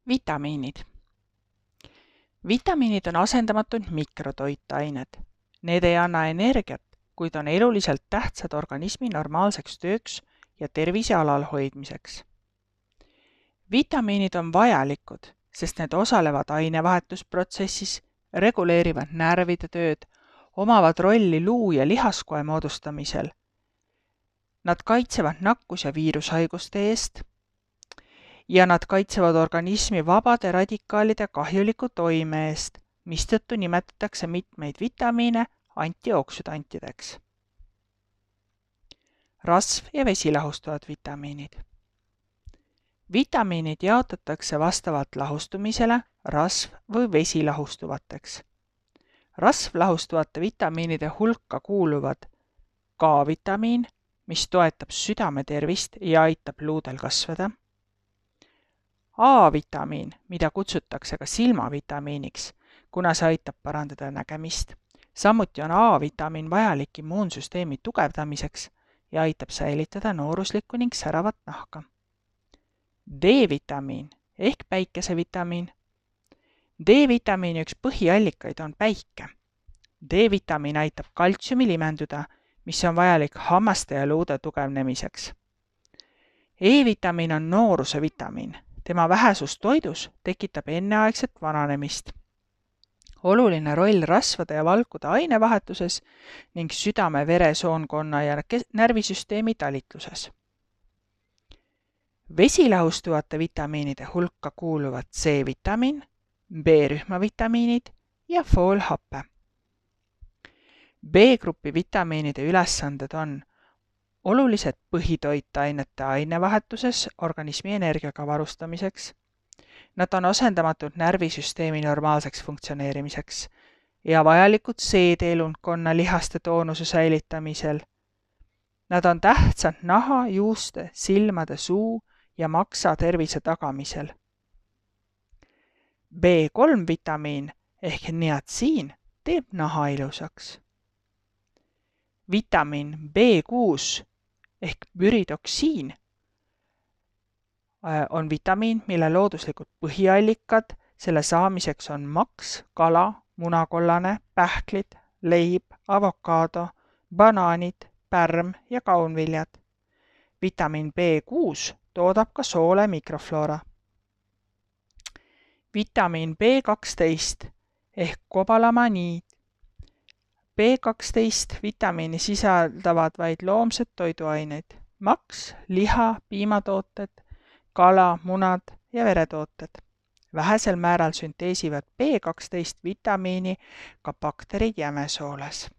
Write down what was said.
Vitamiinid. Vitamiinid on asendamatud mikrotoitained. Need ei anna energiat, kuid on eluliselt tähtsad organismi normaalseks tööks ja tervise alalhoidmiseks. Vitamiinid on vajalikud, sest need osalevad ainevahetusprotsessis, reguleerivad närvide tööd, omavad rolli luu- ja lihaskoe moodustamisel. Nad kaitsevad nakkus- ja viirushaiguste eest ja nad kaitsevad organismi vabade radikaalide kahjuliku toime eest, mistõttu nimetatakse mitmeid vitamiine antioksüdantideks. Rasv- ja vesilahustuvad vitamiinid. Vitamiinid jaotatakse vastavalt lahustumisele rasv- või vesilahustuvateks. Rasvlahustuvate vitamiinide hulka kuuluvad K-vitamiin, mis toetab südame tervist ja aitab luudel kasvada, A-vitamiin, mida kutsutakse ka silmavitamiiniks, kuna see aitab parandada nägemist. Samuti on A-vitamiin vajalik immuunsüsteemi tugevdamiseks ja aitab säilitada nooruslikku ning säravat nahka. D-vitamiin ehk päikesevitamiin. D-vitamiini üks põhiallikaid on päike. D-vitamiin aitab kaltsiumi limenduda, mis on vajalik hammaste ja luude tugevnemiseks. E-vitamiin on nooruse vitamiin. Tema vähesus toidus tekitab enneaegset vananemist. Oluline roll rasvade ja valkude ainevahetuses ning südame-veresoonkonna ja närvisüsteemi talitluses. Vesilahustuvate vitamiinide hulka kuuluvad C-vitamiin, B-rühma vitamiinid ja foolhappe. B-grupi vitamiinide ülesanded on olulised põhitoitainete ainevahetuses organismi energiaga varustamiseks. Nad on asendamatud närvisüsteemi normaalseks funktsioneerimiseks ja vajalikud seedeelundkonna lihaste toonuse säilitamisel. Nad on tähtsad naha, juuste, silmade, suu ja maksa tervise tagamisel. B3 vitamiin ehk niatsiin teeb naha ilusaks. Vitamiin B6 ehk pyridoksiin on vitamiin, mille looduslikud põhiallikad selle saamiseks on maks, kala, munakollane, pähklid, leib, avokaado, banaanid, pärm ja kaunviljad. Vitamiin B6 toodab ka soole mikrofloora. Vitamiin B12 ehk kobalamaniid. B12 vitamiini sisaldavad vaid loomsed toiduaineid, maks, liha, piimatooted, kala, munad ja veretooted. Vähesel määral sünteesivad B12 vitamiini ka bakterid jämesooles.